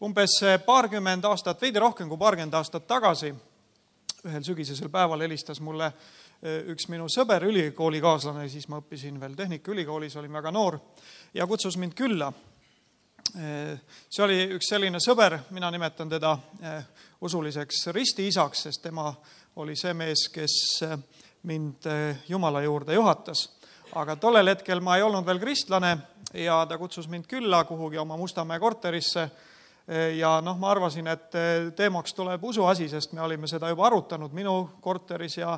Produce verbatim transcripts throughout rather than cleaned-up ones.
umbes paarkümmend aastat, veidi rohkem kui paarkümmend aastat tagasi, ühel sügisesel päeval helistas mulle üks minu sõber, ülikoolikaaslane, siis ma õppisin veel Tehnikaülikoolis, olin väga noor, ja kutsus mind külla. See oli üks selline sõber, mina nimetan teda usuliseks ristiisaks, sest tema oli see mees, kes mind Jumala juurde juhatas. Aga tollel hetkel ma ei olnud veel kristlane ja ta kutsus mind külla kuhugi oma Mustamäe korterisse. Ja noh, ma arvasin, et teemaks tuleb usuasi, sest me olime seda juba arutanud minu korteris ja,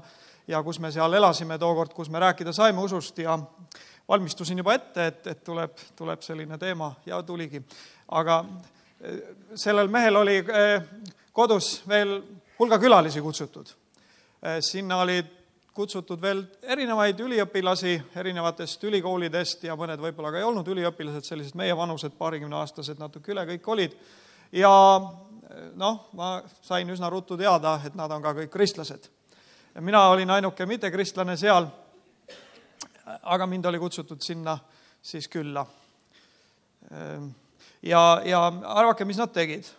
ja kus me seal elasime tookord, kus me rääkida saime usust ja valmistusin juba ette, et, et tuleb, tuleb selline teema ja tuligi. Aga sellel mehel oli kodus veel hulga külalisi kutsutud. Sinna oli kutsutud veel erinevaid üliõpilasi erinevatest ülikoolidest ja mõned võib-olla ka ei olnud üliõpilased, sellised meie vanused, paarikümne aastased, natuke üle kõik olid. Ja noh, ma sain üsna ruttu teada, et nad on ka kõik kristlased. Mina olin ainuke mitte kristlane seal, aga mind oli kutsutud sinna siis külla. Ja, ja arvake, mis nad tegid.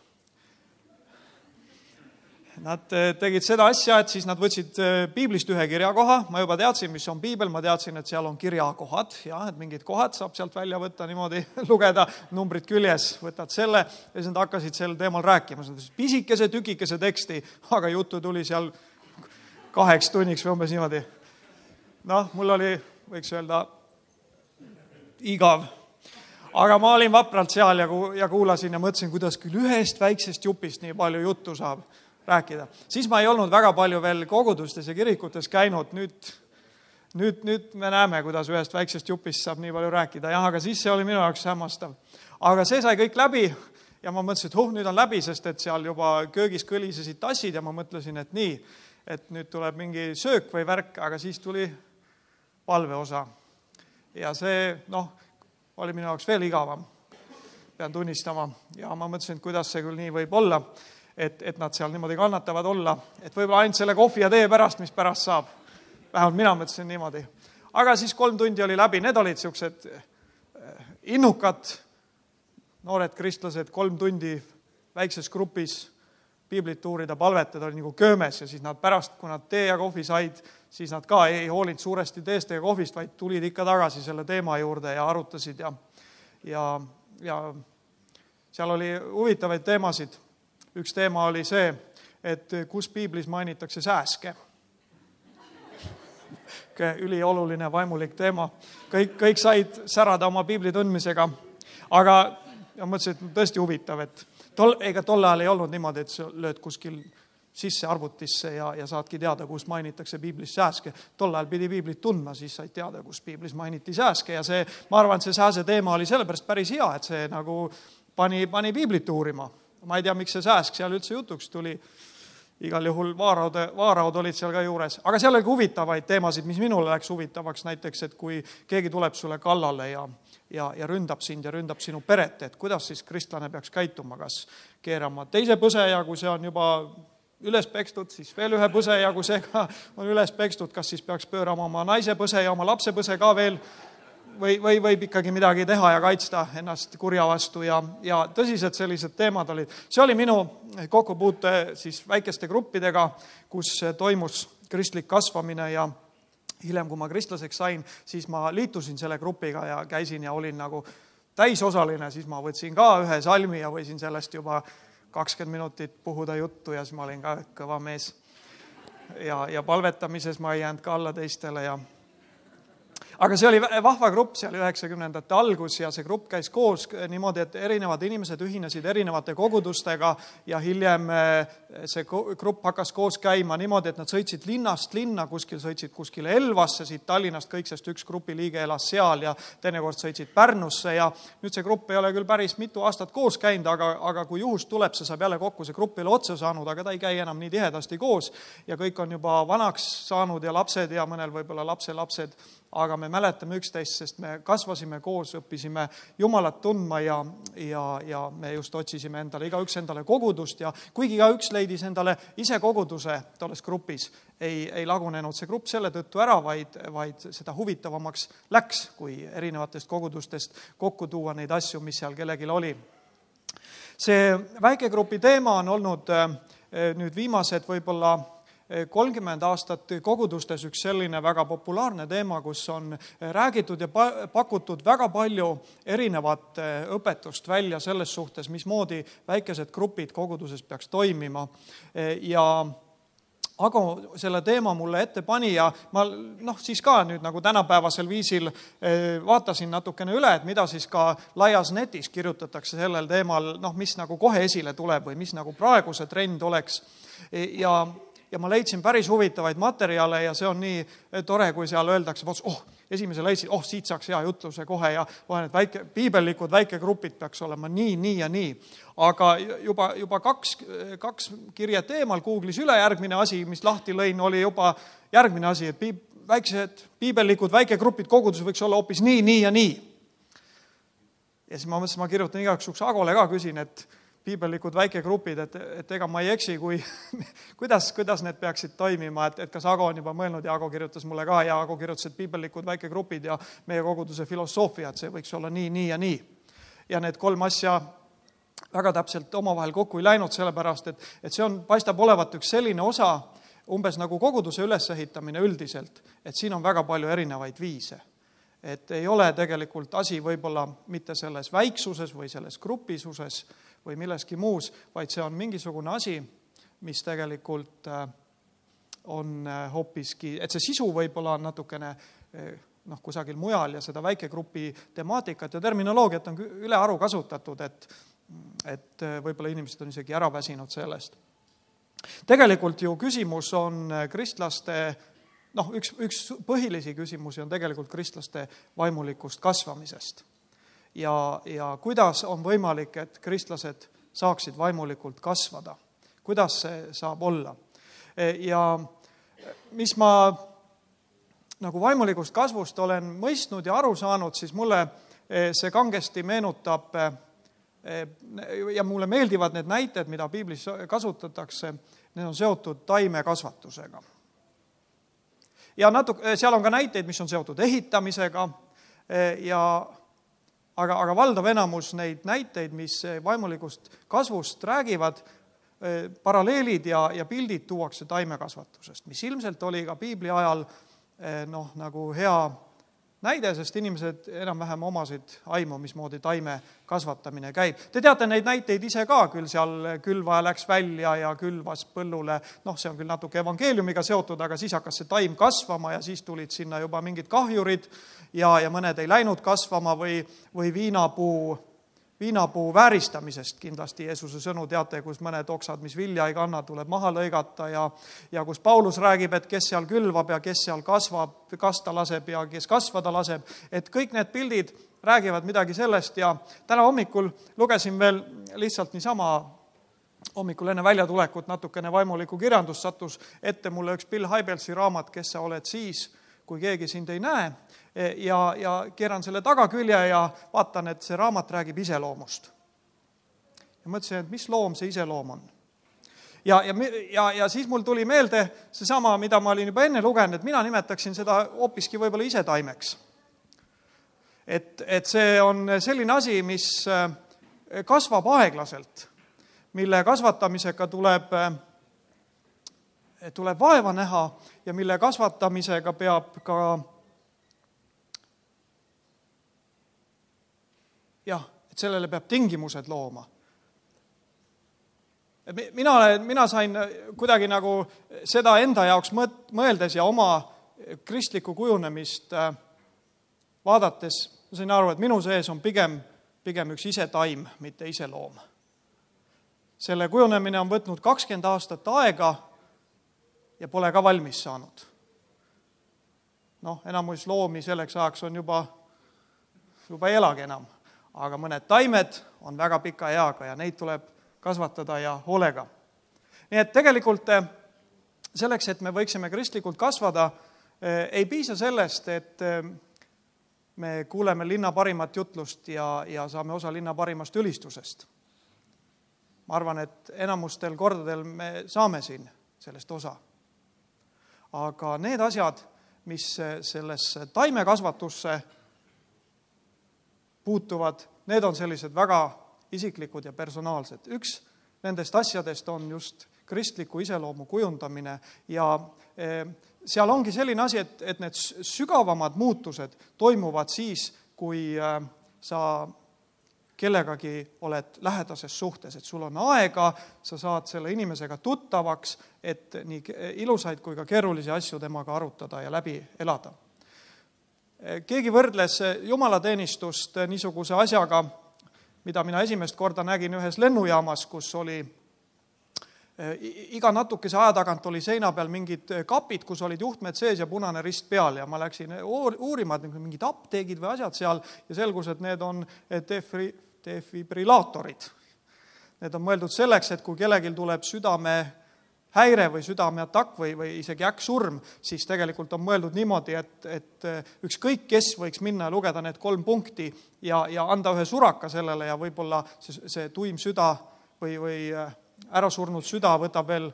Nad tegid seda asja, et siis nad võtsid piiblist ühe kirjakoha. Ma juba teadsin, mis on piibel, ma teadsin, et seal on kirjakohad. Ja, et mingid kohad saab sealt välja võtta, niimoodi lugeda, numbrid küljes, võtad selle. Ja siis nad hakkasid sel teemal rääkima. Pisikese, tükikese teksti, aga juttu tuli seal kaheks tunniks või umbes niimoodi. Noh, mul oli, võiks öelda, igav. Aga ma olin vapralt seal ja kuulasin ja mõtlesin, kuidas küll ühest väiksest jupist nii palju juttu saab rääkida. Siis ma ei olnud väga palju veel kogudustes ja kirikutes käinud. Nüüd, nüüd, nüüd me näeme, kuidas ühest väiksest jupist saab nii palju rääkida. Jah, aga siis see oli minu jaoks hämmastav. Aga see sai kõik läbi ja ma mõtlesin, et huh, nüüd on läbi, sest et seal juba köögis kõlisesid tassid ja ma mõtlesin, et nii, et nüüd tuleb mingi söök või värk, aga siis tuli palveosa. Ja see, noh, oli minu jaoks veel igavam, pean tunnistama. Ja ma mõtlesin, et kuidas see küll nii võib olla. Et, et nad seal niimoodi kannatavad olla, et võib-olla ainult selle kohvi ja tee pärast, mis pärast saab. Vähemalt mina mõtlesin niimoodi. Aga siis kolm tundi oli läbi, need olid siuksed innukad, noored kristlased, kolm tundi väikses grupis piiblit uurida, palvetada, oli nagu köömes ja siis nad pärast, kui nad tee ja kohvi said, siis nad ka ei hoolinud suuresti teest ja kohvist, vaid tulid ikka tagasi selle teema juurde ja arutasid ja, ja, ja seal oli huvitavaid teemasid. Üks teema oli see, et kus piiblis mainitakse sääske. Ülioluline vaimulik teema. Kõik, kõik said särada oma piibli tundmisega. Aga ja mõtlesin, et tõesti huvitav, et tol, ega tol ajal ei olnud niimoodi, et sa lööd kuskil sisse arvutisse ja, ja saadki teada, kus mainitakse piiblis sääske. Tol ajal pidi piiblit tundma, siis said teada, kus piiblis mainiti sääske. Ja see, ma arvan, et see sääse teema oli sellepärast päris hea, et see nagu pani, pani piiblit uurima. Ma ei tea, miks see sääsk seal üldse jutuks tuli. Igal juhul vaaraud, vaaraud olid seal ka juures. Aga seal oli huvitavaid teemasid, mis minule läks huvitavaks. Näiteks, et kui keegi tuleb sulle kallale ja, ja, ja ründab sind ja ründab sinu peret, et kuidas siis kristlane peaks käituma, kas keerama teise põse ja kui see on juba üles pekstud, siis veel ühe põse ja kui see ka on üles pekstud, kas siis peaks pöörama oma naise põse ja oma lapse põse ka veel Või, või võib ikkagi midagi teha ja kaitsta ennast kurja vastu ja, ja tõsised sellised teemad olid. See oli minu kokkupuute siis väikeste gruppidega, kus toimus kristlik kasvamine ja hiljem, kui ma kristlaseks sain, siis ma liitusin selle grupiga ja käisin ja olin nagu täisosaline, siis ma võtsin ka ühe salmi ja võisin sellest juba kakskümmend minutit puhuda juttu ja siis ma olin ka kõva mees. Ja, ja palvetamises ma ei jäänud ka alla teistele ja aga see oli vahva grupp seal üheksakümnendate algus ja see grupp käis koos niimoodi, et erinevad inimesed ühinesid erinevate kogudustega ja hiljem see grupp hakkas koos käima niimoodi, et nad sõitsid linnast linna, kuskil sõitsid kuskile Elvasse, siit Tallinnast kõik, sest üks grupi liige elas seal ja teinekord sõitsid Pärnusse ja nüüd see grupp ei ole küll päris mitu aastat koos käinud, aga, aga kui juhus tuleb, see saab jälle kokku see grupile otsa saanud, aga ta ei käi enam nii tihedasti koos ja kõik on juba vanaks saanud ja lapsed ja mõnel võib-olla lapse lapsed, aga me mäletame üksteist, sest me kasvasime koos, õppisime Jumalat tundma ja, ja, ja me just otsisime endale, igaüks endale kogudust ja kuigi igaüks leidis endale ise koguduse tolles grupis, ei, ei lagunenud see grupp selle tõttu ära, vaid, vaid seda huvitavamaks läks, kui erinevatest kogudustest kokku tuua neid asju, mis seal kellegil oli. see väikegrupi teema on olnud nüüd viimased võib-olla kolmkümmend aastat kogudustes üks selline väga populaarne teema, kus on räägitud ja pakutud väga palju erinevat õpetust välja selles suhtes, mismoodi väikesed grupid koguduses peaks toimima. Ja Ago selle teema mulle ette pani ja ma noh, siis ka nüüd nagu tänapäevasel viisil vaatasin natukene üle, et mida siis ka laias netis kirjutatakse sellel teemal, noh, mis nagu kohe esile tuleb või mis nagu praegu see trend oleks. Ja Ja ma leidsin päris huvitavaid materjale ja see on nii tore, kui seal öeldakse, oh, esimese leidsin, oh, siit saaks hea jutluse kohe ja vahen, et väike, piibellikud väikegrupid peaks olema nii, nii ja nii. Aga juba, juba kaks, kaks kirjet eemal Google'is üle järgmine asi, mis lahti lõin, oli juba järgmine asi, et piib, väiksed piibellikud väikegrupid kogudus võiks olla hoopis nii, nii ja nii. Ja siis ma mõtlesin, ma kirjutan igaks juhuks Agole ka, küsin, et piibellikud väikegrupid, et, et ega ma ei eksi, kui, kuidas, kuidas need peaksid toimima, et, et kas Ago on juba mõelnud ja Ago kirjutas mulle ka ja Ago kirjutas, et piibellikud väikegrupid ja meie koguduse filosoofia, et see võiks olla nii, nii ja nii. Ja need kolm asja väga täpselt omavahel kokku ei läinud, sellepärast, et, et see on, paistab olevat üks selline osa, umbes nagu koguduse ülesehitamine üldiselt, et siin on väga palju erinevaid viise. Et ei ole tegelikult asi võib-olla mitte selles väiksuses või selles grupisuses, või milleski muus, vaid see on mingisugune asi, mis tegelikult on hoopiski, et see sisu võib-olla on natukene noh, kusagil mujal ja seda väikegrupi temaatikat ja terminoloogiat on üle aru kasutatud, et, et võib-olla inimesed on isegi ära väsinud sellest. Tegelikult ju küsimus on kristlaste, noh, üks, üks põhilisi küsimusi on tegelikult kristlaste vaimulikust kasvamisest. Ja, ja kuidas on võimalik, et kristlased saaksid vaimulikult kasvada? Kuidas see saab olla? Ja mis ma nagu vaimulikust kasvust olen mõistnud ja aru saanud, siis mulle see kangesti meenutab ja mulle meeldivad need näited, mida piiblis kasutatakse, need on seotud taimekasvatusega. Ja natuke, seal on ka näiteid, mis on seotud ehitamisega ja Aga, aga valdav enamus neid näiteid, mis vaimulikust kasvust räägivad, paralleelid ja, ja pildid tuuakse taimekasvatusest, mis ilmselt oli ka piibli ajal noh, nagu hea näide, sest inimesed enam-vähem omasid aimu, mismoodi taime kasvatamine käib. Te teate neid näiteid ise ka, küll seal külvaja läks välja ja külvas põllule, noh, see on küll natuke evangeeliumiga seotud, aga siis hakkas see taim kasvama ja siis tulid sinna juba mingid kahjurid ja, ja mõned ei läinud kasvama või, või viinapuu, viinapuu vääristamisest kindlasti Jeesuse sõnu teate, kus mõned oksad, mis vilja ei kanna, tuleb maha lõigata ja, ja kus Paulus räägib, et kes seal külvab ja kes seal kasvab, kasta laseb ja kes kasvada laseb, et kõik need pildid räägivad midagi sellest ja täna hommikul lugesin veel lihtsalt niisama hommikul enne väljatulekut natukene vaimulikku kirjandust, sattus ette mulle üks Bill Hybelsi raamat, kes sa oled siis, kui keegi sind ei näe ja, ja keeran selle tagakülje ja vaatan, et see raamat räägib iseloomust. Ja mõtlesin, et mis loom see iseloom on. Ja, ja, ja, ja siis mul tuli meelde seesama, mida ma olin juba enne lugenud, et mina nimetaksin seda hoopiski võib-olla ise taimeks. Et, et see on selline asi, mis kasvab aeglaselt, mille kasvatamisega tuleb tuleb vaeva näha ja mille kasvatamisega peab ka jah, et sellele peab tingimused looma. Mina, mina sain kuidagi nagu seda enda jaoks mõeldes ja oma kristlikku kujunemist vaadates, ma sain aru, et minu sees on pigem, pigem üks ise taim, mitte ise loom. Selle kujunemine on võtnud kakskümmend aastat aega ja pole ka valmis saanud. Noh, enamus loomi selleks ajaks on juba, juba ei elagi enam, aga mõned taimed on väga pika eaga ja neid tuleb kasvatada ja hoolega. Nii et tegelikult selleks, et me võiksime kristlikult kasvada, ei piisa sellest, et me kuuleme linna parimat jutlust ja, ja saame osa linna parimast ülistusest. Ma arvan, et enamustel kordadel me saame siin sellest osa. Aga need asjad, mis sellesse taimekasvatusse puutuvad, need on sellised väga isiklikud ja personaalsed. Üks nendest asjadest on just kristliku iseloomu kujundamine ja seal ongi selline asi, et, et need sügavamad muutused toimuvad siis, kui sa kellegagi oled lähedases suhtes, et sul on aega, sa saad selle inimesega tuttavaks, et nii ilusaid kui ka keerulisi asju temaga arutada ja läbi elada. Keegi võrdles jumalateenistust niisuguse asjaga, mida mina esimest korda nägin ühes lennujaamas, kus oli iga natukese aja tagant oli seina peal mingid kapid, kus olid juhtmed sees ja punane rist peal ja ma läksin uurima, et mingid apteegid või asjad seal ja selgus, et need on defri, defibrillaatorid. Need on mõeldud selleks, et kui kellelgi tuleb südame häire või südameatakk või, või isegi äkksurm, siis tegelikult on mõeldud niimoodi, et, et ükskõik kes võiks minna ja lugeda need kolm punkti ja, ja anda ühe suraka sellele ja võib-olla see, see tuim süda või, või ära surnud süda võtab veel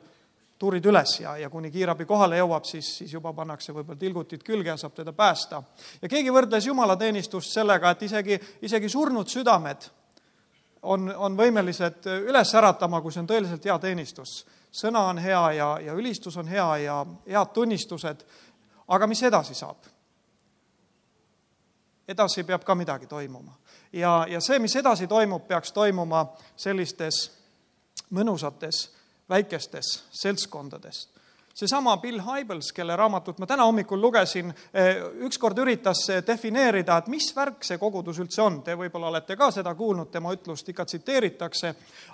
tuurid üles ja, ja kuni kiirabi kohale jõuab, siis, siis juba pannakse võib-olla tilgutid külge ja saab teda päästa. Ja keegi võrdles jumalateenistust sellega, et isegi, isegi surnud südamed on, on võimelised üles äratama, kui see on tõeliselt hea teenistus. Sõna on hea ja, ja ülistus on hea ja head tunnistused, aga mis edasi saab? Edasi peab ka midagi toimuma. Ja, ja see, mis edasi toimub, peaks toimuma sellistes mõnusates väikestes seltskondades. Seesama Bill Hybels, kelle raamatut ma täna hommikul lugesin, ükskord üritas defineerida, et mis värk see kogudus üldse on. Te võib-olla olete ka seda kuulnud, tema ütlust ikka tsiteeritakse,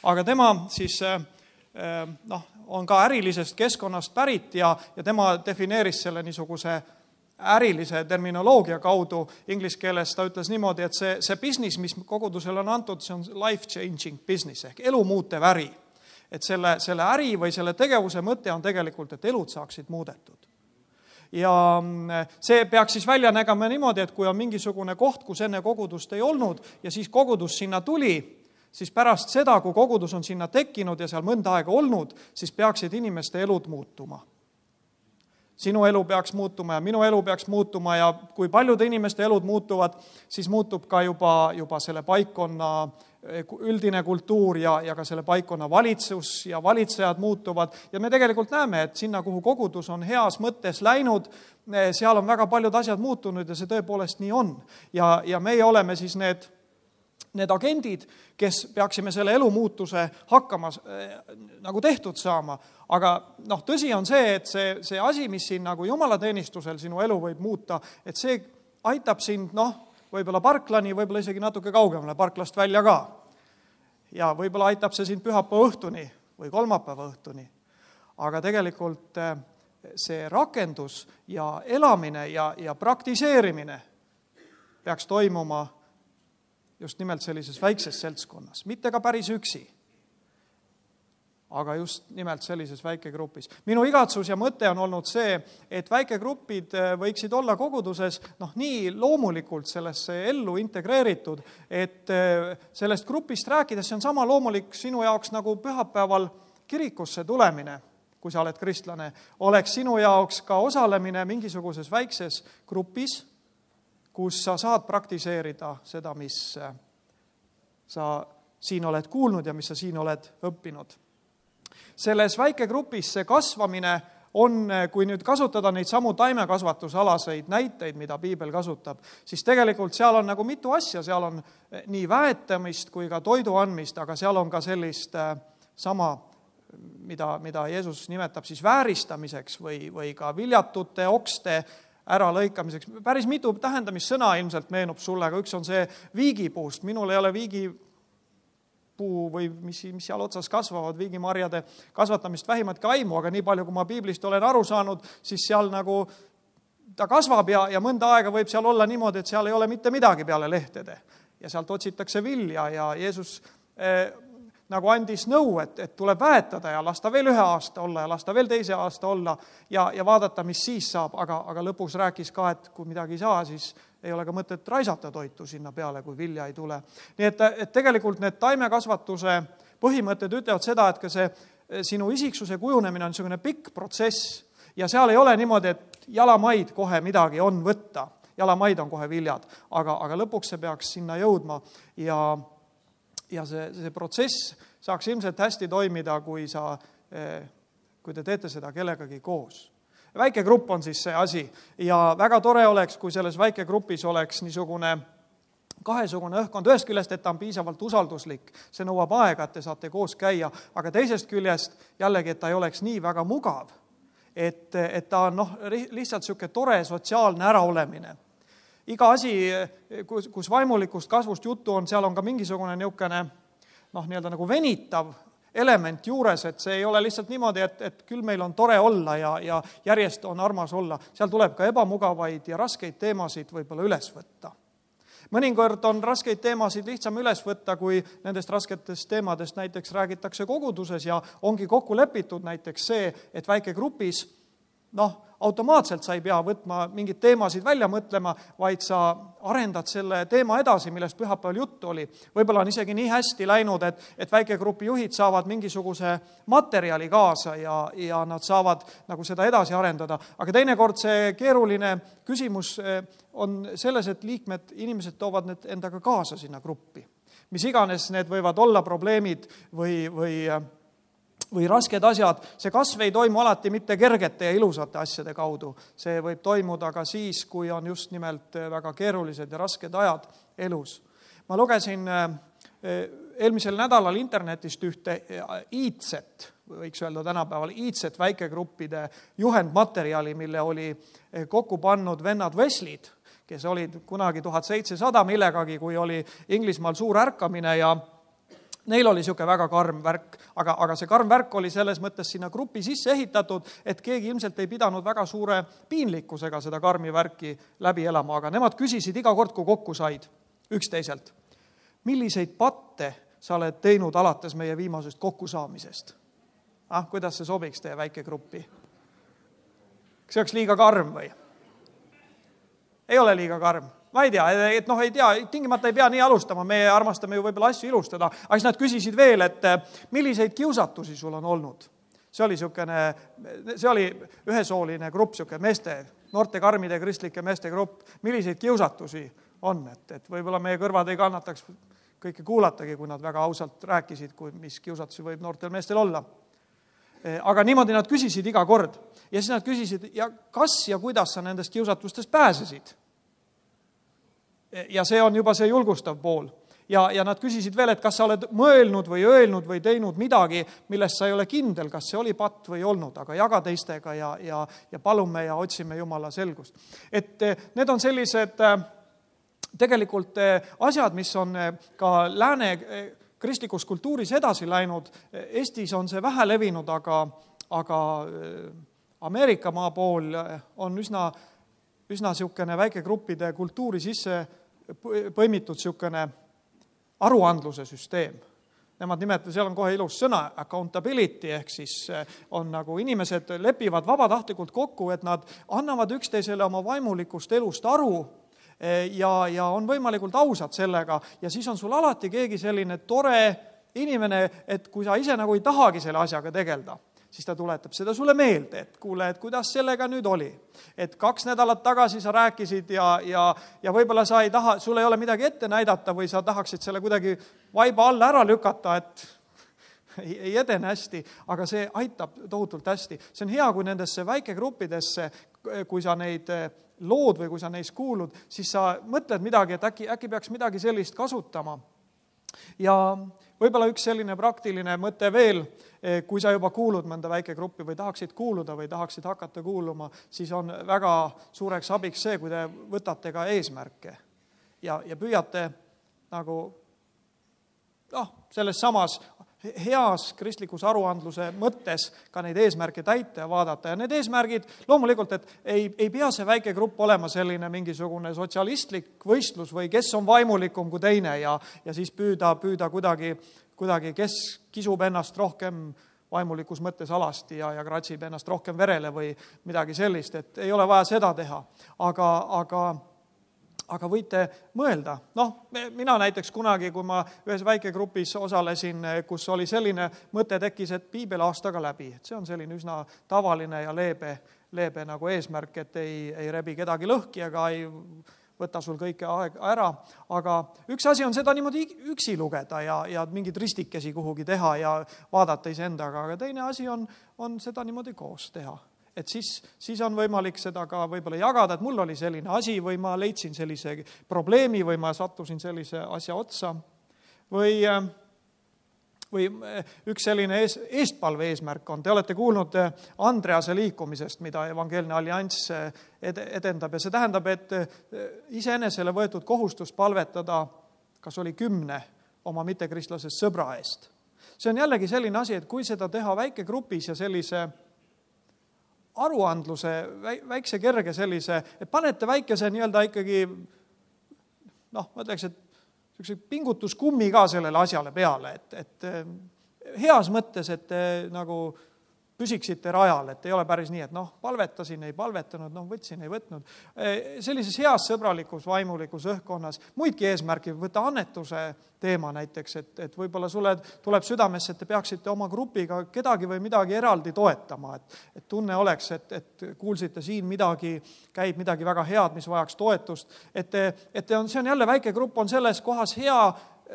aga tema siis noh, on ka ärilisest keskkonnast pärit ja, ja tema defineeris selle niisuguse ärilise terminoloogia kaudu. Inglise keeles ta ütles niimoodi, et see, see business, mis kogudusele on antud, see on life-changing business ehk elu muutev äri. Et selle, selle äri või selle tegevuse mõte on tegelikult, et elud saaksid muudetud. Ja see peaks siis välja nägema niimoodi, et kui on mingisugune koht, kus enne kogudust ei olnud ja siis kogudus sinna tuli, siis pärast seda, kui kogudus on sinna tekkinud ja seal mõnda aega olnud, siis peaksid inimeste elud muutuma. Sinu elu peaks muutuma ja minu elu peaks muutuma ja kui paljude inimeste elud muutuvad, siis muutub ka juba, juba selle paikkonna üldine kultuur ja, ja ka selle paikkonna valitsus ja valitsejad muutuvad. Ja me tegelikult näeme, et sinna, kuhu kogudus on heas mõttes läinud, seal on väga paljud asjad muutunud ja see tõepoolest nii on. Ja, ja meie oleme siis need, need agendid, kes peaksime selle elumuutuse hakkama äh, nagu tehtud saama. Aga noh, tõsi on see, et see, see asi, mis siin nagu jumalateenistusel sinu elu võib muuta, et see aitab sind, noh, võib-olla parklani, võib-olla isegi natuke kaugemale parklast välja ka. Ja võib-olla aitab see sind pühapäeva õhtuni või kolmapäeva õhtuni. Aga tegelikult see rakendus ja elamine ja, ja praktiseerimine peaks toimuma just nimelt sellises väikses seltskonnas. Mitte ka päris üksi, aga just nimelt sellises väikegrupis. Minu igatsus ja mõte on olnud see, et väikegrupid võiksid olla koguduses noh, nii loomulikult sellesse ellu integreeritud, et sellest grupist rääkides see on sama loomulik sinu jaoks nagu pühapäeval kirikusse tulemine, kui sa oled kristlane, oleks sinu jaoks ka osalemine mingisuguses väikses grupis, kus sa saad praktiseerida seda, mis sa siin oled kuulnud ja mis sa siin oled õppinud. Selles väikegrupis see kasvamine on, kui nüüd kasutada neid samu taimekasvatusalaseid näiteid, mida piibel kasutab, siis tegelikult seal on nagu mitu asja, seal on nii väetamist kui ka toidu andmist, aga seal on ka sellist sama, mida, mida Jeesus nimetab siis vääristamiseks või, või ka viljatute okste äralõikamiseks. Päris mitu tähendamissõna ilmselt meenub sulle, aga üks on see viigipuust. Minul ei ole viigi puu või mis, mis seal otsas kasvavad, viigimarjade kasvatamist vähimatki aimu, aga nii palju, kui ma piiblist olen aru saanud, siis seal nagu ta kasvab ja, ja mõnda aega võib seal olla niimoodi, et seal ei ole mitte midagi peale lehtede. Ja sealt otsitakse vilja ja Jeesus eh, nagu andis nõu, et, et tuleb väetada ja lasta veel ühe aasta olla ja lasta veel teise aasta olla ja, ja vaadata, mis siis saab, aga, aga lõpus rääkis ka, et kui midagi ei saa, siis ei ole ka mõtet raisata toitu sinna peale, kui vilja ei tule. Nii et, et tegelikult need taimekasvatuse põhimõtted ütlevad seda, et ka see sinu isiksuse kujunemine on niisugune pikk protsess ja seal ei ole niimoodi, et jalamaid kohe midagi on võtta, jalamaid on kohe viljad, aga, aga lõpuks see peaks sinna jõudma ja ja see, see protsess saaks ilmselt hästi toimida, kui sa, kui te teete seda kellegagi koos. Väikegrupp on siis see asi ja väga tore oleks, kui selles väikegrupis oleks niisugune kahesugune õhkkond, ühest küljest, et ta on piisavalt usalduslik, see nõuab aega, et te saate koos käia, aga teisest küljest jällegi, et ta ei oleks nii väga mugav, et, et ta on noh, lihtsalt niisugune tore sotsiaalne äraolemine. Iga asi, kus, kus vaimulikust kasvust juttu on, seal on ka mingisugune niisugune noh, nii-öelda nagu venitav element juures, et see ei ole lihtsalt niimoodi, et, et küll meil on tore olla ja, ja järjest on armas olla. Seal tuleb ka ebamugavaid ja raskeid teemasid võib-olla üles võtta. Mõnikord on raskeid teemasid lihtsam üles võtta, kui nendest rasketest teemadest näiteks räägitakse koguduses ja ongi kokku lepitud näiteks see, et väikegrupis, noh, automaatselt sa ei pea võtma mingid teemasid välja mõtlema, vaid sa arendad selle teema edasi, millest pühapäeval juttu oli. Võib-olla on isegi nii hästi läinud, et, et väikegrupi juhid saavad mingisuguse materjali kaasa ja, ja nad saavad nagu seda edasi arendada. Aga teinekord see keeruline küsimus on selles, et liikmed, inimesed toovad need endaga kaasa sinna gruppi. Mis iganes need võivad olla probleemid või, või või rasked asjad, see kasv ei toimu alati mitte kergete ja ilusate asjade kaudu. See võib toimuda ka siis, kui on just nimelt väga keerulised ja rasked ajad elus. Ma lugesin eelmisel nädalal internetist ühte iidset, võiks öelda tänapäeval, iidset väikegruppide juhendmaterjali, mille oli kokku pannud vennad Wesley'd, kes olid kunagi tuhat seitsesada millegagi, kui oli Inglismaal suur ärkamine ja neil oli niisugune väga karm värk, aga, aga see karm värk oli selles mõttes sinna grupi sisse ehitatud, et keegi ilmselt ei pidanud väga suure piinlikkusega seda karmi värki läbi elama, aga nemad küsisid iga kord, kui kokku said üksteiselt. Milliseid patte sa oled teinud alates meie viimasest kokkusaamisest? Ah, kuidas see sobiks teie väikegruppi? Kas see oleks liiga karm või? Ei ole liiga karm. Ma ei tea, et noh, ei tea, tingimata ei pea nii alustama, me armastame ju võib-olla asju ilustada, aga siis nad küsisid veel, et milliseid kiusatusi sul on olnud. See oli, sükene, see oli ühesooline grupp, süke meeste, noorte karmide kristlike meeste grupp, milliseid kiusatusi on, et, et võib-olla meie kõrvad ei kannataks kõike kuulatagi, kui nad väga ausalt rääkisid, kui mis kiusatusi võib noortel meestel olla. Aga niimoodi nad küsisid iga kord ja siis nad küsisid, ja kas ja kuidas sa nendest kiusatustest pääsesid? Ja see on juba see julgustav pool. Ja, ja nad küsisid veel, et kas sa oled mõelnud või öelnud või teinud midagi, millest sa ei ole kindel, kas see oli patt või olnud, aga jaga teistega ja, ja, ja palume ja otsime Jumala selgust. Et need on sellised tegelikult asjad, mis on ka lääne kristlikus kultuuris edasi läinud. Eestis on see vähe levinud, aga, aga Ameerika maa pool on üsna, üsna siukene väikegruppide kultuuri sisse põimitud siukene aruandluse süsteem. Nemad nimetavad, seal on kohe ilus sõna, accountability, ehk siis on nagu inimesed lepivad vabatahtlikult kokku, et nad annavad üksteisele oma vaimulikust elust aru ja, ja on võimalikult ausad sellega ja siis on sul alati keegi selline tore inimene, et kui sa ise nagu ei tahagi selle asjaga tegelda, siis ta tuletab seda sulle meelde, et kuule, et kuidas sellega nüüd oli. Et kaks nädalat tagasi sa rääkisid ja, ja, ja võib-olla sa ei taha, sul ei ole midagi ette näidata või sa tahaksid selle kuidagi vaiba alla ära lükata, et ei, ei edene hästi, aga see aitab tohutult hästi. See on hea, kui nendesse väikegruppidesse, kui sa neid lood või kui sa neis kuulud, siis sa mõtled midagi, et äkki, äkki peaks midagi sellist kasutama. Ja võib-olla üks selline praktiline mõte veel, kui sa juba kuulud mõnda väikegruppi või tahaksid kuuluda või tahaksid hakata kuuluma, siis on väga suureks abiks see, kui te võtate ka eesmärke ja, ja püüate nagu noh, selles samas heas kristlikus aruandluse mõttes ka neid eesmärke täita ja vaadata. Ja need eesmärgid loomulikult, et ei, ei pea see väike grupp olema selline mingisugune sotsialistlik võistlus või kes on vaimulikum kui teine ja, ja siis püüda, püüda kuidagi, kuidagi, kes kisub ennast rohkem vaimulikus mõttes alasti ja, ja kratsib ennast rohkem verele või midagi sellist, et ei ole vaja seda teha. Aga, aga Aga võite mõelda. Noh, mina näiteks kunagi, kui ma ühes väikegrupis osalesin, kus oli selline mõte tekkis, et piibel aastaga läbi. Et see on selline üsna tavaline ja leebe, leebe nagu eesmärk, et ei, ei rebi kedagi lõhki, aga ei võta sul kõike aeg ära, aga üks asi on seda niimoodi üksi lugeda ja, ja mingid ristikesi kuhugi teha ja vaadata iseendaga, aga teine asi on, on seda niimoodi koos teha. Et siis, siis on võimalik seda ka võib-olla jagada, et mul oli selline asi või ma leidsin sellise probleemi või ma sattusin sellise asja otsa või, või üks selline ees, eestpalve eesmärk on. Te olete kuulnud Andrease liikumisest, mida Evangeelne Allianss edendab ja see tähendab, et iseenesele võetud kohustus palvetada, kas oli kümne oma mittekristlasest sõbra eest. See on jällegi selline asi, et kui seda teha väikegrupis ja sellise aruandluse, väikse kerge sellise, et panete väikese nii-öelda ikkagi, noh, ma ütleks, et üks pingutuskummi ka sellele asjale peale, et, et heas mõttes, et te nagu püsiksite rajal, et ei ole päris nii, et noh, palvetasin, ei palvetanud, noh, võtsin, ei võtnud. Sellises heas sõbralikus, vaimulikus õhkkonnas, muidki eesmärki, võtta annetuse teema näiteks, et, et võib-olla sulle tuleb südamesse, et te peaksite oma grupiga kedagi või midagi eraldi toetama, et, et tunne oleks, et, et kuulsite siin midagi, käib midagi väga head, mis vajaks toetust, et, te, et te on, see on jälle väike grupp, on selles kohas hea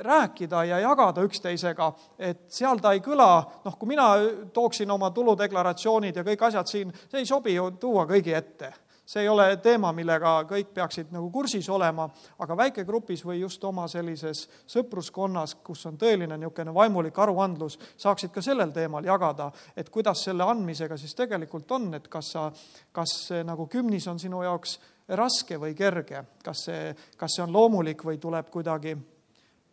rääkida ja jagada üksteisega, et seal ta ei kõla, noh, kui mina tooksin oma tuludeklaratsioonid ja kõik asjad siin, see ei sobi ju tuua kõigi ette. See ei ole teema, millega kõik peaksid nagu kursis olema, aga väikegrupis või just oma sellises sõpruskonnas, kus on tõeline niisugune vaimulik aruandlus, saaksid ka sellel teemal jagada, et kuidas selle andmisega siis tegelikult on, et kas sa, kas nagu kümnis on sinu jaoks raske või kerge, kas see, kas see on loomulik või tuleb kuidagi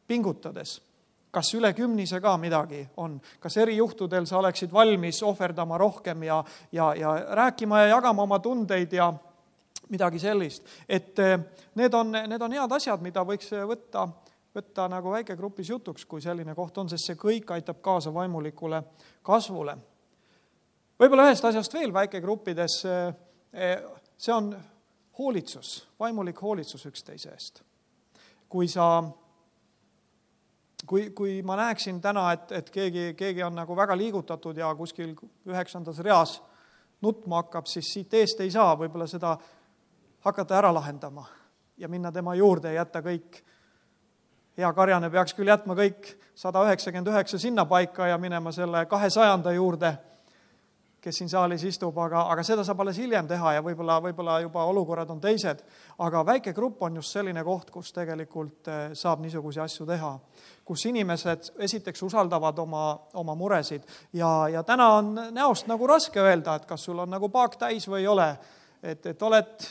pingutades. Kas üle kümnise ka midagi on? Kas eri juhtudel sa oleksid valmis ohverdama rohkem ja, ja, ja rääkima ja jagama oma tundeid ja midagi sellist? Et need on, need on head asjad, mida võiks võtta, võtta nagu väikegrupis jutuks, kui selline koht on, sest see kõik aitab kaasa vaimulikule kasvule. Võib-olla ühest asjast veel väikegruppides, see on hoolitsus, vaimulik hoolitsus üksteise eest. Kui sa Kui, kui ma näeksin täna, et, et keegi, keegi on nagu väga liigutatud ja kuskil üheksandas reas nutma hakkab, siis siit eest ei saa võib-olla seda hakata ära lahendama ja minna tema juurde ja jätta kõik. Hea karjane peaks küll jätma kõik sada üheksakümmend üheksa sinna paika ja minema selle kahesajanda juurde, kes siin saalis istub, aga, aga seda saab alles hiljem teha ja võib-olla, võib-olla juba olukorrad on teised. Aga väike grupp on just selline koht, kus tegelikult saab niisugusi asju teha, kus inimesed esiteks usaldavad oma, oma muresid ja, ja täna on näost nagu raske öelda, et kas sul on nagu paak täis või ei ole, et, et oled,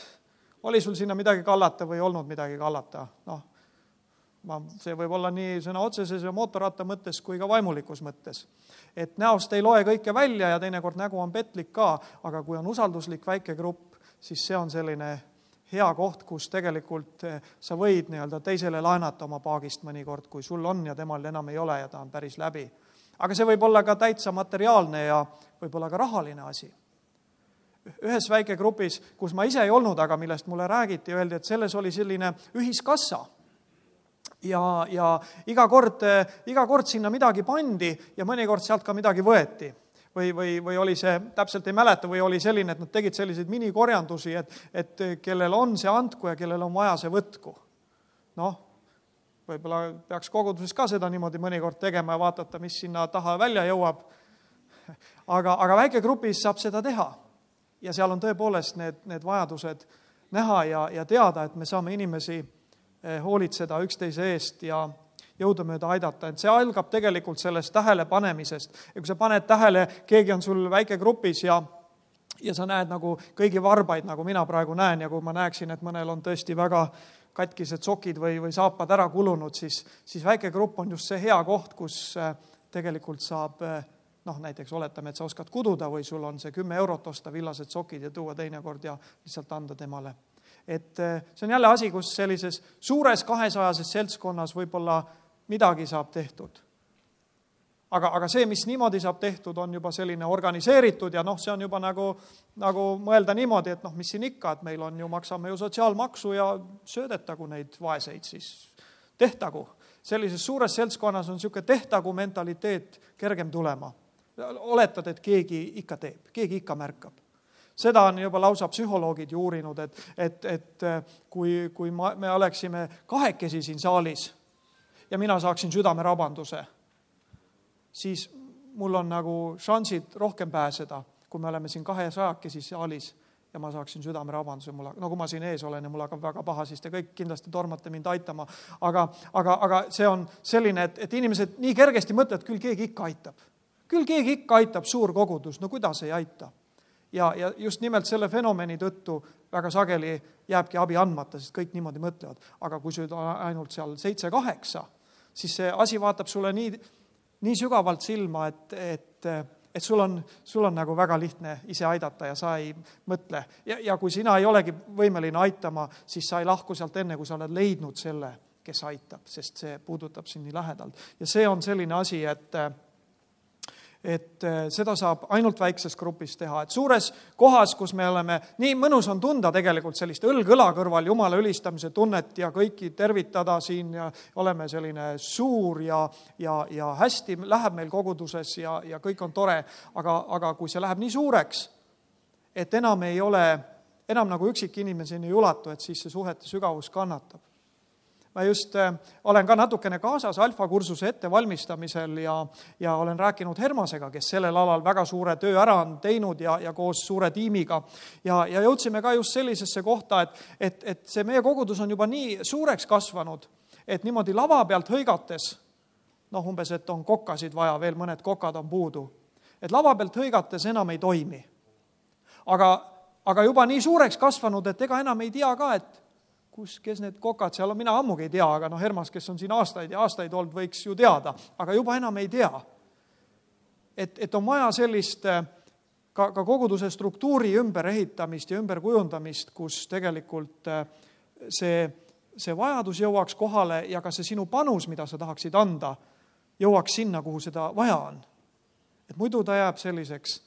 oli sul sinna midagi kallata või ei olnud midagi kallata, noh. See võib olla nii sõna otseses ja mootorratta mõttes kui ka vaimulikus mõttes. Et näost ei loe kõike välja ja teinekord nägu on petlik ka, aga kui on usalduslik väike grupp, siis see on selline hea koht, kus tegelikult sa võid nii-öelda teisele laenata oma paagist mõnikord, kui sul on ja temal enam ei ole ja ta on päris läbi. Aga see võib olla ka täitsa materiaalne ja võib olla ka rahaline asi. Ühes väikegrupis, kus ma ise ei olnud, aga millest mulle räägiti, öeldi, et selles oli selline ühiskassa. Ja, ja iga kord, iga kord sinna midagi pandi ja mõnikord sealt ka midagi võeti. Või, või, või oli see, täpselt ei mäleta, või oli selline, et nad tegid selliseid minikorjandusi, et, et kellel on see andku ja kellel on vaja see võtku. Noh, võib-olla peaks koguduses ka seda niimoodi mõnikord tegema ja vaatata, mis sinna taha välja jõuab. Aga, aga väikegrupis saab seda teha. Ja seal on tõepoolest need, need vajadused näha ja, ja teada, et me saame inimesi hoolitseda üksteise eest ja jõudumööda aidata. Et see algab tegelikult sellest tähele panemisest. Ja kui sa paned tähele, keegi on sul väike grupis ja, ja sa näed nagu kõigi varbaid, nagu mina praegu näen, ja kui ma näeksin, et mõnel on tõesti väga katkised sokid või, või saapad ära kulunud, siis, siis väike grupp on just see hea koht, kus tegelikult saab, noh näiteks oletame, et sa oskad kududa või sul on see kümme eurot osta villased sokid ja tuua teinekord ja lihtsalt anda temale. Et see on jälle asi, kus sellises suures kahesajases seltskonnas võib-olla midagi saab tehtud. Aga, aga see, mis niimoodi saab tehtud, on juba selline organiseeritud ja noh, see on juba nagu, nagu mõelda niimoodi, et noh, mis siin ikka, et meil on ju, maksame ju sotsiaalmaksu ja söödetagu neid vaeseid, siis tehtagu. Sellises suures seltskonnas on niisugune tehtagu mentaliteet kergem tulema. Oletad, et keegi ikka teeb, keegi ikka märkab. Seda on juba lausa psühholoogid ju uurinud, et, et, et kui, kui me oleksime kahekesi siin saalis ja mina saaksin südamerabanduse, siis mul on nagu šansid rohkem pääseda, kui me oleme siin kahesajakesi saalis ja ma saaksin südamerabanduse, mul, no kui ma siin ees olen ja mul hakkab väga paha, siis te kõik kindlasti tormate mind aitama. Aga, aga, aga see on selline, et, et inimesed nii kergesti mõtlevad, küll keegi ikka aitab. Küll keegi ikka aitab, suur kogudus, no kuidas ei aita? Ja, ja just nimelt selle fenomeni tõttu väga sageli jääbki abi andmata, sest kõik niimoodi mõtlevad. Aga kui sul on ainult seal seitse kaheksa, siis see asi vaatab sulle nii, nii sügavalt silma, et, et, et sul, on, sul on nagu väga lihtne ise aidata ja sa ei mõtle. Ja, ja kui sina ei olegi võimeline aitama, siis sa ei lahku sealt enne, kui sa oled leidnud selle, kes aitab, sest see puudutab sind nii lähedalt. Ja see on selline asi, et et seda saab ainult väikses grupis teha. Et suures kohas, kus me oleme, nii mõnus on tunda tegelikult sellist õlg-õla kõrval Jumala ülistamise tunnet ja kõiki tervitada siin ja oleme selline suur ja, ja, ja hästi läheb meil koguduses ja, ja kõik on tore, aga, aga kui see läheb nii suureks, et enam ei ole, enam nagu üksik inimeseni ei ulatu, et siis see suhete sügavus kannatab. Ma just olen ka natukene kaasas alfa-kursuse ettevalmistamisel ja, ja olen rääkinud Hermasega, kes sellel alal väga suure töö ära on teinud ja, ja koos suure tiimiga. Ja, ja jõudsime ka just sellisesse kohta, et, et, et see meie kogudus on juba nii suureks kasvanud, et niimoodi lava pealt hõigates, noh umbes, et on kokkasid vaja, veel mõned kokad on puudu, et lava pealt hõigates enam ei toimi. Aga, aga juba nii suureks kasvanud, et ega enam ei tea ka, et kus, kes need kokad seal on, mina ammugi ei tea, aga no Hermas, kes on siin aastaid ja aastaid olnud, võiks ju teada, aga juba enam ei tea. Et, et on vaja sellist ka, ka koguduse struktuuri ümber ehitamist ja ümber kujundamist, kus tegelikult see, see vajadus jõuaks kohale ja ka see sinu panus, mida sa tahaksid anda, jõuaks sinna, kuhu seda vaja on. Et muidu ta jääb selliseks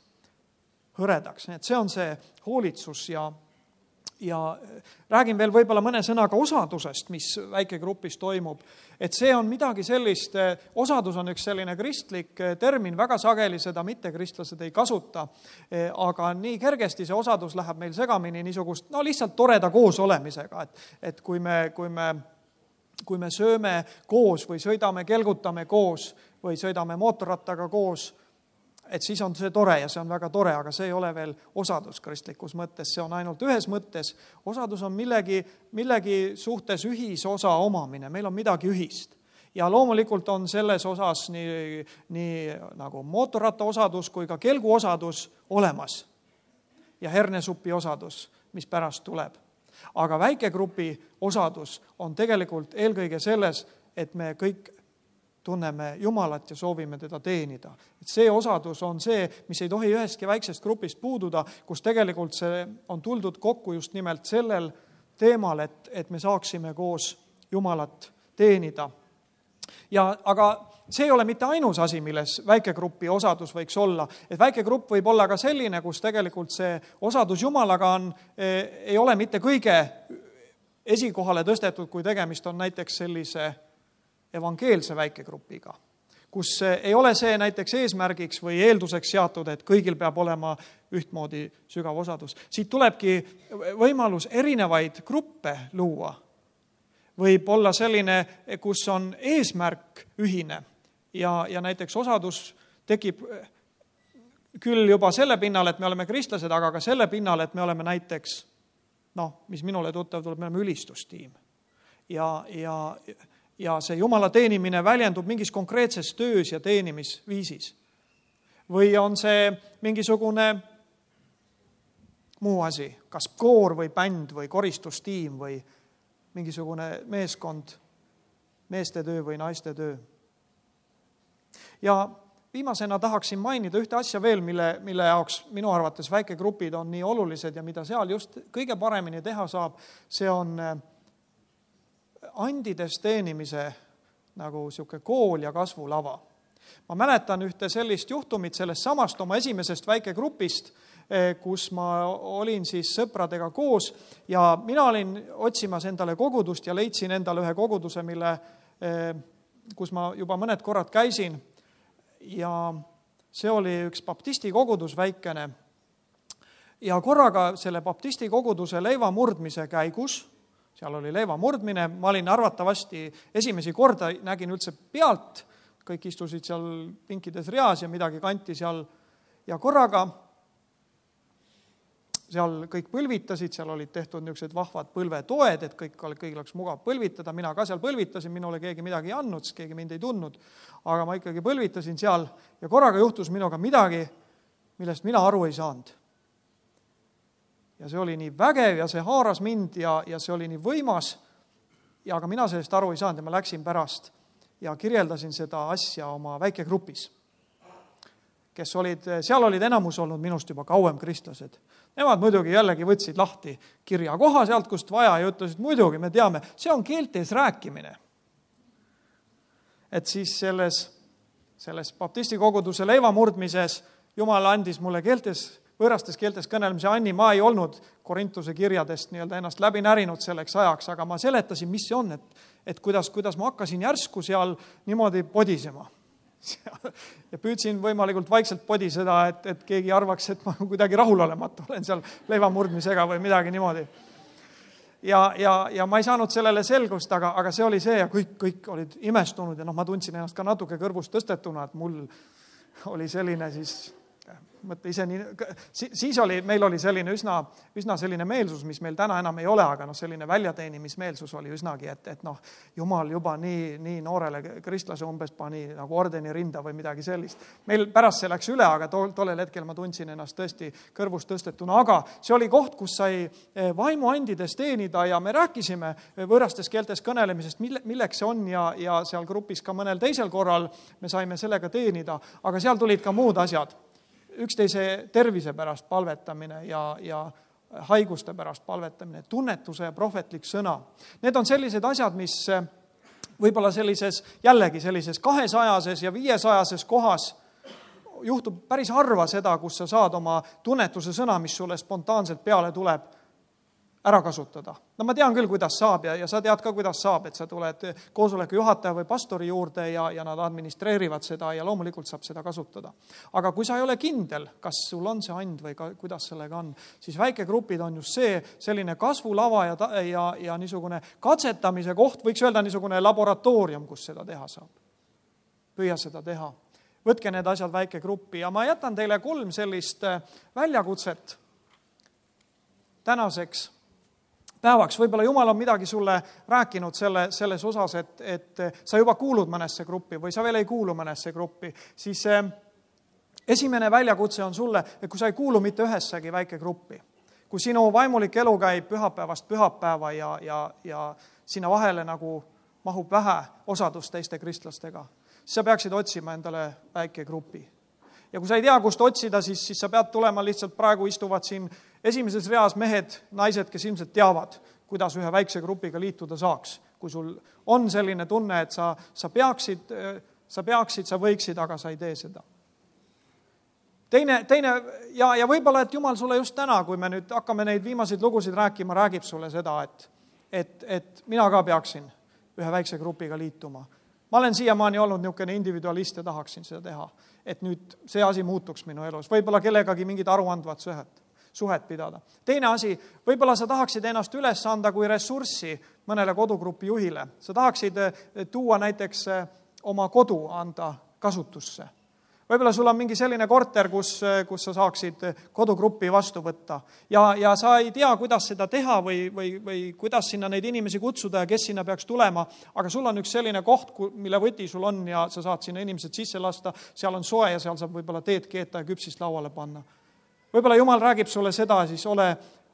hõredaks. Et see on see hoolitsus ja Ja räägin veel võib-olla mõne sõnaga osadusest, mis väikegrupis toimub. Et see on midagi sellist, osadus on üks selline kristlik termin, väga sageli seda mittekristlased ei kasuta, aga nii kergesti see osadus läheb meil segamini niisugust, no lihtsalt toreda koos olemisega, et, et kui me, kui me, kui me sööme koos või sõidame, kelgutame koos või sõidame mootorrattaga koos, et siis on see tore ja see on väga tore, aga see ei ole veel osadus kristlikus mõttes, see on ainult ühes mõttes. Osadus on millegi, millegi suhtes ühisosa omamine, meil on midagi ühist. Ja loomulikult on selles osas nii, nii nagu mootorratta osadus kui ka kelgu osadus olemas ja hernesupi osadus, mis pärast tuleb. Aga väikegrupi osadus on tegelikult eelkõige selles, et me kõik tunneme Jumalat ja soovime teda teenida. Et see osadus on see, mis ei tohi ühestki väiksest grupist puududa, kus tegelikult see on tuldud kokku just nimelt sellel teemal, et, et me saaksime koos Jumalat teenida. Ja, aga see ei ole mitte ainus asi, milles väikegrupi osadus võiks olla. Et väikegrupp võib olla ka selline, kus tegelikult see osadus Jumalaga on, ei ole mitte kõige esikohale tõstetud, kui tegemist on näiteks sellise evangeelse väikegrupiga, kus ei ole see näiteks eesmärgiks või eelduseks seatud, et kõigil peab olema ühtmoodi sügav osadus. Siit tulebki võimalus erinevaid gruppe luua. Võib olla selline, kus on eesmärk ühine ja, ja näiteks osadus tekib küll juba selle pinnal, et me oleme kristlased, aga ka selle pinnal, et me oleme näiteks, noh, mis minule tuttav tuleb, me oleme ülistustiim. Ja, ja Ja see Jumala teenimine väljendub mingis konkreetses töös ja teenimisviisis. Või on see mingisugune muu asi, kas koor või bänd või koristustiim või mingisugune meeskond, meeste töö või naiste töö. Ja viimasena tahaksin mainida ühte asja veel, mille, mille jaoks minu arvates väikegrupid on nii olulised ja mida seal just kõige paremini teha saab, see on andides teenimise nagu siuke kool ja kasvulava. Ma mäletan ühte sellist juhtumit sellest samast oma esimesest väikegrupist, kus ma olin siis sõpradega koos ja mina olin otsimas endale kogudust ja leidsin endale ühe koguduse, mille, kus ma juba mõned korrad käisin ja see oli üks baptisti kogudus väikene ja korraga selle baptisti koguduse leiva murdmise käigus, seal oli leiva murdmine, ma olin arvatavasti esimesi korda, nägin üldse pealt, kõik istusid seal pinkides reas ja midagi kanti seal ja korraga seal kõik põlvitasid, seal olid tehtud niisugused vahvad põlvetoed, et kõik, kõigil oleks mugav põlvitada, mina ka seal põlvitasin, minule keegi midagi ei andnud, sest keegi mind ei tundnud, aga ma ikkagi põlvitasin seal ja korraga juhtus minuga midagi, millest mina aru ei saanud. Ja see oli nii vägev ja see haaras mind ja, ja see oli nii võimas ja aga mina sellest aru ei saanud ja ma läksin pärast ja kirjeldasin seda asja oma väikegrupis, kes olid, seal olid enamus olnud minust juba kauem kristlased. Nemad muidugi jällegi võtsid lahti kirja koha sealt, kust vaja ja ütlesid, muidugi me teame, see on keeltes rääkimine. Et siis selles, selles baptisti koguduse leiva murdmises Jumal andis mulle keeltes, võõrastes keeltes kõnelemise anni, ma ei olnud Korintuse kirjadest nii-öelda ennast läbi närinud selleks ajaks, aga ma seletasin, mis see on, et, et kuidas, kuidas ma hakkasin järsku seal niimoodi podisema. Ja püüdsin võimalikult vaikselt podiseda, et, et keegi arvaks, et ma kuidagi rahulolematu olen seal leiva murdmisega või midagi niimoodi. Ja, ja, ja ma ei saanud sellele selgust, aga, aga see oli see ja kõik, kõik olid imestunud ja noh, ma tundsin ennast ka natuke kõrvust tõstetuna, et mul oli selline siis mõtle ise nii, siis oli, meil oli selline üsna, üsna selline meelsus, mis meil täna enam ei ole, aga noh, selline väljateenimismeelsus oli üsnagi, et, et noh, Jumal juba nii, nii noorele kristlase umbes pani nagu ordeni rinda või midagi sellist. Meil pärast see läks üle, aga tol, tollel hetkel ma tundsin ennast tõesti kõrvust tõstetuna, aga see oli koht, kus sai vaimuandides teenida ja me rääkisime võõrastes keeltes kõnelemisest, mille, milleks see on ja, ja seal grupis ka mõnel teisel korral me saime sellega teenida, aga seal tulid ka muud asjad. Üksteise tervise pärast palvetamine ja, ja haiguste pärast palvetamine, tunnetuse ja prohvetlik sõna. Need on sellised asjad, mis võib-olla sellises, jällegi sellises kahesajases ja viiesajases kohas juhtub päris harva seda, kus sa saad oma tunnetuse sõna, mis sulle spontaanselt peale tuleb, ära kasutada. No ma tean küll, kuidas saab ja, ja sa tead ka, kuidas saab, et sa tuled koosoleku juhataja või pastori juurde ja, ja nad administreerivad seda ja loomulikult saab seda kasutada. Aga kui sa ei ole kindel, kas sul on see and või ka, kuidas sellega on, siis väikegrupid on just see selline kasvulava ja, ja, ja niisugune katsetamise koht, võiks öelda niisugune laboratoorium, kus seda teha saab. Püüa seda teha. Võtke need asjad väikegruppi ja ma jätan teile kolm sellist väljakutset tänaseks päevaks. Võib-olla Jumal on midagi sulle rääkinud selle, selles osas, et, et sa juba kuulud mõnesse gruppi või sa veel ei kuulu mõnesse gruppi, siis esimene väljakutse on sulle, et kui sa ei kuulu mitte ühessegi väikegruppi, kui sinu vaimulik elu käib pühapäevast pühapäeva ja, ja, ja sinna vahele nagu mahub vähe osadust teiste kristlastega, siis sa peaksid otsima endale väikegrupi. Ja kui sa ei tea, kust otsida, siis, siis sa pead tulema lihtsalt, praegu istuvad siin esimeses reas mehed, naised, kes ilmselt teavad, kuidas ühe väikse grupiga liituda saaks. Kui sul on selline tunne, et sa, sa, peaksid, sa peaksid, sa võiksid, aga sa ei tee seda. Teine, teine ja, ja võib-olla, et Jumal sulle just täna, kui me nüüd hakkame neid viimaseid lugusid rääkima, räägib sulle seda, et, et, et mina ka peaksin ühe väikse grupiga liituma. Ma olen siiamaani olnud niisugune individualist ja tahaksin seda teha, et nüüd see asi muutuks minu elus. Võib-olla kellegagi mingid aruandvad suhet, suhet pidada. Teine asi, võib-olla sa tahaksid ennast üles anda kui ressurssi mõnele kodugrupi juhile. Sa tahaksid tuua näiteks oma kodu anda kasutusse. Võib-olla sul on mingi selline korter, kus, kus sa saaksid kodugruppi vastu võtta ja, ja sa ei tea, kuidas seda teha või, või, või kuidas sinna neid inimesi kutsuda ja kes sinna peaks tulema, aga sul on üks selline koht, mille võti sul on ja sa saad sinna inimesed sisse lasta, seal on soe ja seal saab võib-olla teed keeta ja küpsist lauale panna. Võib-olla Jumal räägib sulle seda, siis ole,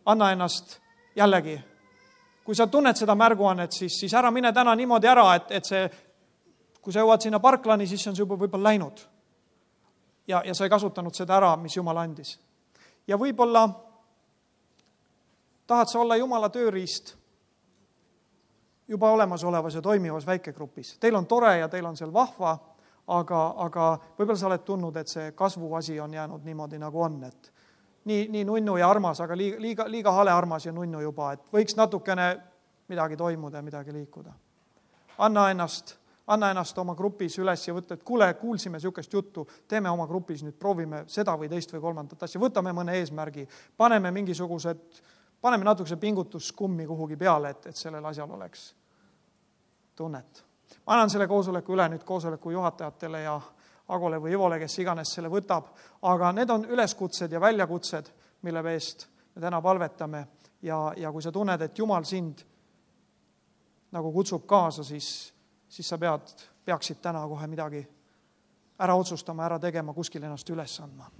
anna ennast jällegi. Kui sa tunned seda märguannet, siis, siis ära mine täna niimoodi ära, et, et see, kui sa jõuad sinna parklani, siis on see juba võib-olla läinud. Ja, ja sa ei kasutanud seda ära, mis Jumal andis. Ja võib-olla tahad sa olla Jumala tööriist juba olemasolevas ja toimivas väikegrupis. Teil on tore ja teil on seal vahva, aga, aga võib-olla sa oled tundnud, et see kasvuasi on jäänud niimoodi nagu on. Et nii, nii nunnu ja armas, aga liiga, liiga, liiga hale armas ja nunnu juba, et võiks natukene midagi toimuda ja midagi liikuda. Anna ennast anna ennast oma grupis üles ja võtta, et kuule, kuulsime niisugust juttu, teeme oma grupis nüüd, proovime seda või teist või kolmandat asja, võtame mõne eesmärgi, paneme mingisugused, paneme natukese pingutuskummi kuhugi peale, et, et sellel asjal oleks tunnet. Ma annan selle koosoleku üle nüüd koosoleku juhatajatele ja Agole või Ivole, kes iganes selle võtab, aga need on üleskutsed ja väljakutsed, mille eest me täna palvetame ja, ja kui sa tunned, et Jumal sind nagu kutsub kaasa, siis, siis sa pead, peaksid täna kohe midagi ära otsustama, ära tegema, kuskil ennast üles andma.